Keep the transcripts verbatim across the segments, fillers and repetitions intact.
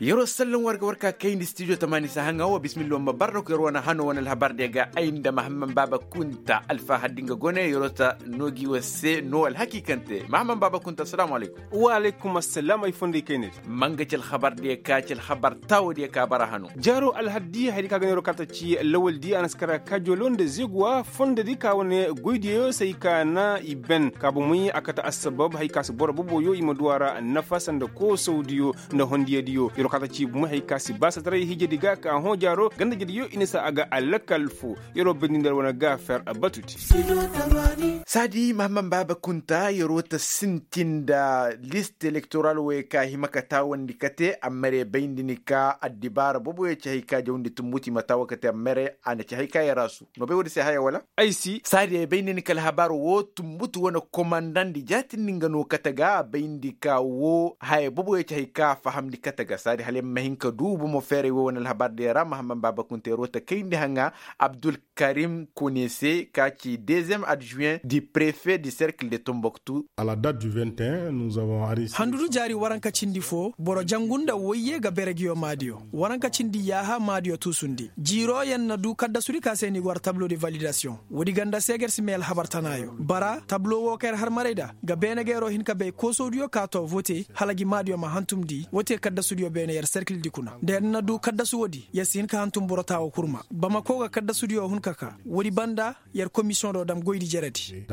Yer'o sallan war ga war ka kayndi stijo tamaani sahaŋa wo bismillah wa ma barra ko yer'o wane hano wane alhabar diya ga ay nda mahamman baaba kunta alfahar di nga gone yer'o ta noo gi war se noo alhakiikante mahamman baaba kunta assalaamu alaykum. Wa alaykum assalam ay fondo i kayndi. Ma nga ci alhabar diya ka ci alhabar taawo diya ka bara hano. Jaaro alhaddi haydi ka ga neer'o ka ta ci lawal di a na si kara kaajoolo nda zeeguwa fondo di ka wane goydiyo se ay ka na i ben ka bomey a kate assabab hay ka si boro boboyo i ma du a ra nafa sanda koosawdiyo nda hondiyadiyo yer'o ka ta ci bomey hay ka si baasataray hiijedi ga ka hõ jaaro gandajediyo i na si a ga alakal fo. Yer'o bindi nda wane gaafer batudi. Saadi mahamman baaba kunta yer'o ta sintin nda list elektoral wooyo ka hima ka taawandi kate amma re bayndi ni ka addibaara boboyo ci hay ka jawndi tumbuti ma taawo kate amma re a na ci hay ka yer'asu. No bay woodi se haya wala? Ay si. Saadi ay bay nda ni ka alhabar woo tumbutu wane komandandi jaatindi nga no kate ga a bay nda ni ka woo haya boboyo ci hay ka a fahamndi kate ga saadi hala ya ma hin ka duu bomo feeray woo wane alhabar diya ra mahamman baaba kunteeroo ta kayndi haŋa abdulkarim konese ka ci deziyem adjuwen di prefe di serkil de tomboktu. Handudu jaari waranka cindi foo boro jangu nda woyye ga bere ngiyo maadiyo. Waranka cindi yaaha maadiyo tuusundi jiirooyaŋ na duu kaddasudi ka se ni go war tablo de validasiyoŋ. Woodi ganda se ga yer si may alhabar tanaayo bara tablo woo ka yer har maray nda ga beene ga yeroo hin ka bay koosowdiyo ka too vote hala ngi maadiyo ma hantumndi woo te kaddasudiyo beene yer serkildi kuna nda yer na duu kaddasu woodi yer si hin ka hantum boro taawo kurma bamako ga kaddasudiyo hun ka kaa. Woodi banda yer komisiyoŋ do dam goydi jeredi.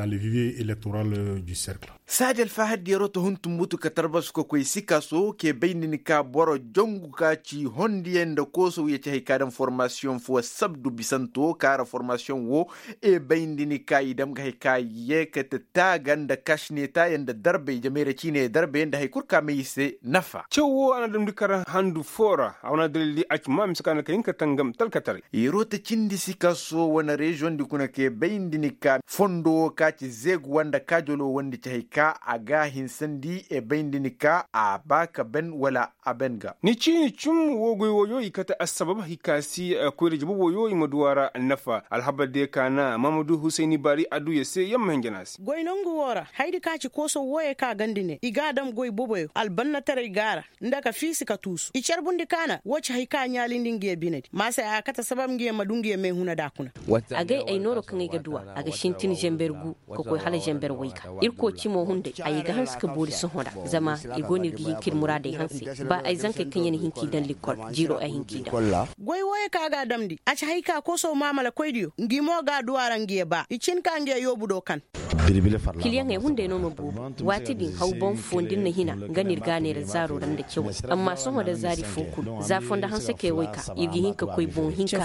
Saadi alfahar di yeroo ta hun tumbutu ka tarbasu ka koy sikaso kee bayndi ni ka boro jongu ka ci hondiyaŋ nda koosow ya ci hay ka daŋ formasiyoŋ foo sabdu bisanto kaara formasiyoŋ woo. E bayndi ni ka i daŋ ga hay ka yeekate taaga nda kašinetaayaŋ nda darbey jamayra ciiney darbey nda hay kul ka may i se nafa. Caw woo a na damndi kar handu foo ra a wane dalil di a ci maa mise ka na ka hin ka tangam talkataray. Yeroo ta cindi sikaso wane reziyoŋ di kuna kee bayndi ni ka fondo woo ka ci zeeguwa nda kaajoloo wondi ci hay ka a ga a hinsandi e bayndi ni ka a ba ka ben wala a ben ga. Ni ciini cum woo goy wooyo i kate assabab hay ka si koyra jabu wooyo i ma du a ra nafa alhabar diyo ka na mahamadu husayni baari adduya se yer ma hinja no a se. Goy nongu woo ra hayadi ka ci koosow wooyo ka gandi ne i ga a dam goy boboyo albannataray ga a ra nda ka fiisi ka tuusu i carbundi ka na woo ci hay ka ɲaalindi ngiyo binedi ma se a kate sabab ngiyo ma du ngiyo meehuna da kuna. Agay ay nooro kaŋ ay ga duw'a a ga sintin zamber gu ka koy hala zamber wayka. Irkoy cimo hunday ay ga hanse ka boori sohõ ra. Zama i go no ir ga hin ka ir muraadey hanse ba ay zankey kaŋ ya na hin k'i daŋ likkol jiiro ay hin k'i daŋ. Goy wooyo kaŋ a ga a damndi a ci hay ka koosow maamalakoydiyo ngi mo ga a du a ra ngiyo baa i cin ka ngiyo yoobu do kan. Kiliyaŋey hunday no ma boobo. Waati din haw boŋ foo nda ir na hina nga no ir ga a neera zaaro ra nda cawey. Amma sohõ da zaari foo kul za fonda hansekey wayka ir ga hin ka koy boŋ hinka.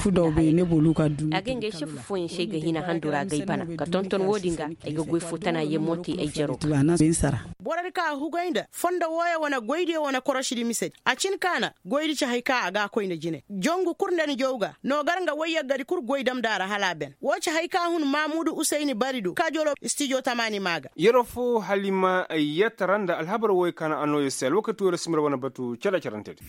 Agay ngey sefu fooyaŋ se ay ga hina handu ra agay bana ka tonton woodin ga. Ay ga goy foo tana yee mo te ay jaro ga. Borodi ka a hugay nda fondo wooyo wane goydiyo wane korosidi misedi a cin ka na goydi ci hay ka a ga a koy nda jine. Jongu kul nda ni jaw ga no gar nga wayyaggadi kul goy damndi a ra hala a ben woo ci hay ka hun maamuudu usayni bari do kaajoloo stijo tamaani maa ga. Yeroo foo halima ay yee tara nda alhabar wooyo ka na a noo yer se alwakati wooyo ra si mir wane batu cere-cerantedi.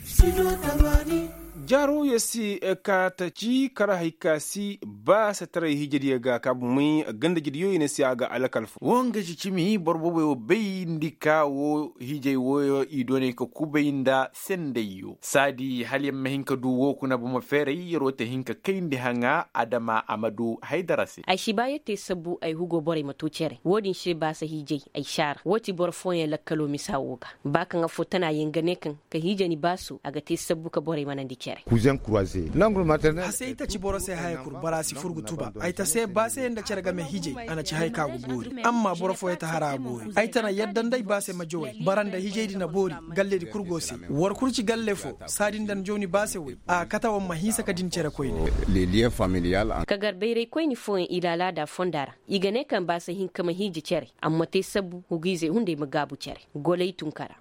Jaaro yer si ka ta ci kar hay ka si baasataray hiijediyo ga ka bumey gandajediyo i na si a ga alakal foo. Woo nga ci cimi boro booboyo bayndi ka woo hiijey wooyo i doonay ka kubay nda sendayyo saadi hala yer ma hin ka du woo kuna buma feeray yeroo ta hin ka kayndi haŋa adama a ma du haydara se. Ay si ba yer te sabbu ay hugo borey ma too cere woodin se baasa hiijey ay saara woo ti boro fooyaŋ lakkaloo misa woo ga. Ba kaŋ affoo tana yer ga ne kaŋ ka hiija ni baaso a ga te sabbu ka borey manandi cere. Hasey taci boro se haya kul bara si fur ga tuba ay ta se baasey nda cere game hiijey a na ci haya ka go boori. Amma boro fooyaŋ ta hara a boori ay ta na yadda nda ay baasey ma jawey bara nda hiijey di na boori. Galledi kul go se war kul ci galle foo saadi nda ni jaw ni baase woy a kate war ma hinsa ka din cere koyne. Ka gar bayray koyni fooyaŋ i laalaada fonda ra i ga ne kaŋ baase hinka ma hiiji cere. Amma te sabbu hugu-izey hunday ma gaabu cere. Goley tunkara.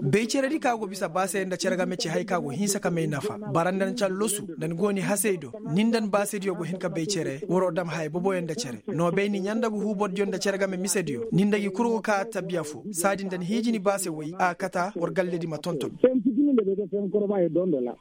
Bay ceredi ka go bisa baasey nda cere game ci haya ka go hinsa ka may nafa bara nda ni callosu nda ni go ni hasey do. Ni nda ni baasediyo go hin ka bay cere waroo dam haya boboyo nda cere. No bay ni ɲanda ga huu bordiyo nda cere game misediyo ni nda gi kul go ka tabiya foo saadi nda ni hiiji ni baase woy a kata war galledi ma tonton.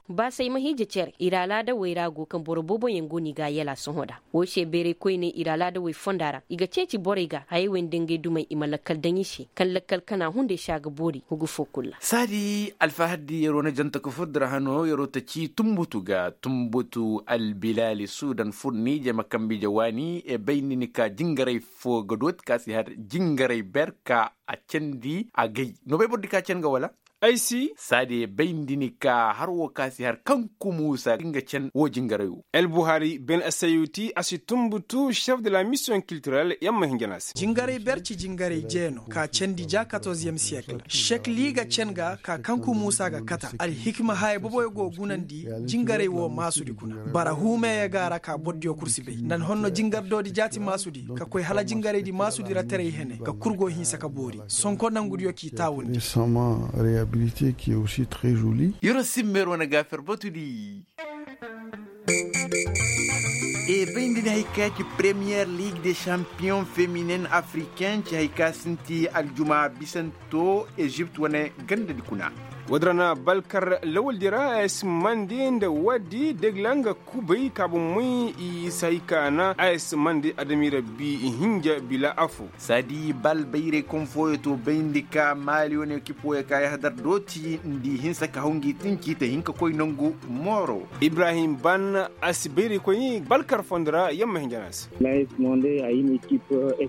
Baasay ma hiija cere ir alaadawey ra go kaŋ boro booboyaŋ go no i ga a yala sohõ nda. Wo se bayray koyney ir alaadawey fonda ra i ga ceeci borey ga hayey wey nda ngey dumey i ma lakkal daŋ i se kaŋ lakkal kana hunday se a ga boori hugu fo kul ra. Saadi alfahaddi yeroo na janta ka fur dira hano yeroo ta ci tumbutu ga tumbutu albilaali suudan fur niije ma kambe ije waani e bay ni ni ka jingaray fo ga dooti ka si har jingaray ber ka a candi agay no bay boro di ka can ga wala? Ay si. Saadi bay ni di ni ka har wo ka si har kaŋ kumuusa nga can wo jingaray wo. El buhari ben asayuti a si tumbutu chef de la mission kiltirel yamma hinjana se. Jingaray ber ci jingaray jeeno ka candi ja katorziyem siyekil shekli ga can ga ka kanku muusa ga kata alhikima haya boboyo go gunandi. Jingaray wo maasudi kuna bara huumeeya ga ra ka bordiyo kul si bay nda ni honno jingar doodi jaati maasudi ka koy hala jingaraydi maasudi ra taray hene ka kul go hinsa ka boori. Sonko nangudiyo k'i taawundi. Yeroo simmeer wane gaafer batudi. E bay nda ni hay ka ci premiyer liig de champiyon feminen afriken ci hay ka sinti aljumaa bisanto ezipt wane gandadi kuna. Woodi ra na balkar lawaldi ra a si mande nda woodi degla nga kubay kaabu moy i si hay ka na a si mande adami rabbi hinja bila afo. Saadi bal bayray kom fooyo to bayndi ka maali wane ekip wooyo ka yahadar dooti nda i hinsa ka haw ngi tinci ta hin ka koy nangu mooro. Ibrahim ban a si bayray koy balkar fondo ra yamma hinja na a se.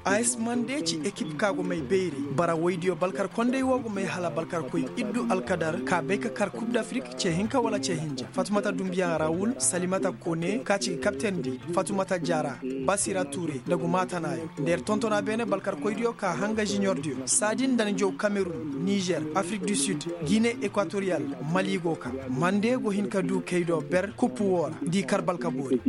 As mande ci ekip ka go may bayray bara woydiyo balkar konday wo go may hala balkar koy iddu alkadar ka bay ka kar kub dafrik ce hinka wala ce hinja fatumata dumbiya rawul salimata kone ka ci kapten di fatumata jara basira ture nda gumaatanayo nda yer tontona beene balkar koydiyo ka hanga junior diyo saadi nda ni jow kamerun nizer afrik du sud gine ekwatoriyal mali go ka mande go hin ka du kaydo ber kupu woo ra nda i kar balka boori.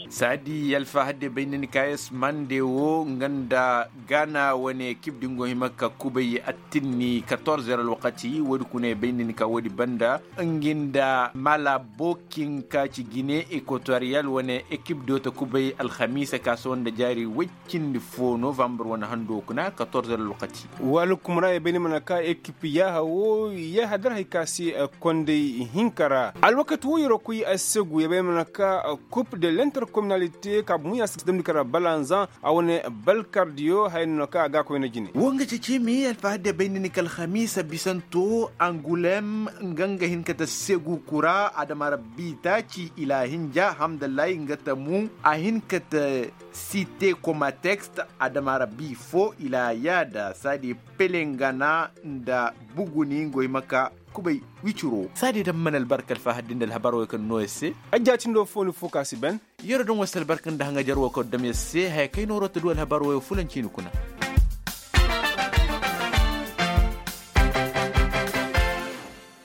Saadi alfahadde bay nda ni ka yes mande woo nga nda gaana wane ekip din go hima ka kubay attinni katorze ra alwakati woodi kuna i bay nda ni ka woodi banda ngi nda mala bokin ka ci gine ekwatoriyal wane ekip do ta kubay alhamiisa ka sohõ nda jaari woy cindi foo novambar wane hando kuna katorze ra alwakati. Wala kuma ra i bay ni mana ka ekip yaaha woo yaaha dar hay ka se konday hinka ra alwakati woo yeroo koy assegu i bay ni mana ka kub de lenterkominalite ka bumu ya si damndi ka ra balanzan a wane balkardiyo haya no kaŋ a ga a koyna jine. Woo nga cecimi alfahadde bay nda ni ka alhamiisa bisanto angulem nga nga hin ka ta segu kura adama rabbi taaci ilaahinja hamdallahi nga ta mu a hin ka ta site koma tekst adama rabbi foo ilaa yaada saadi pelengana nda buguni ngoy ma ka kubay wiciro saadi daŋ mana albarka alfahadde nda alhabar wey kaŋ no yer se. Ajjaatindo foo ni foo ka si ben. Yero daŋ wasa albarka nda haŋajer woo kaŋ dam yer se haya kay nooroo ta du alhabar woo fulanci ni kuna.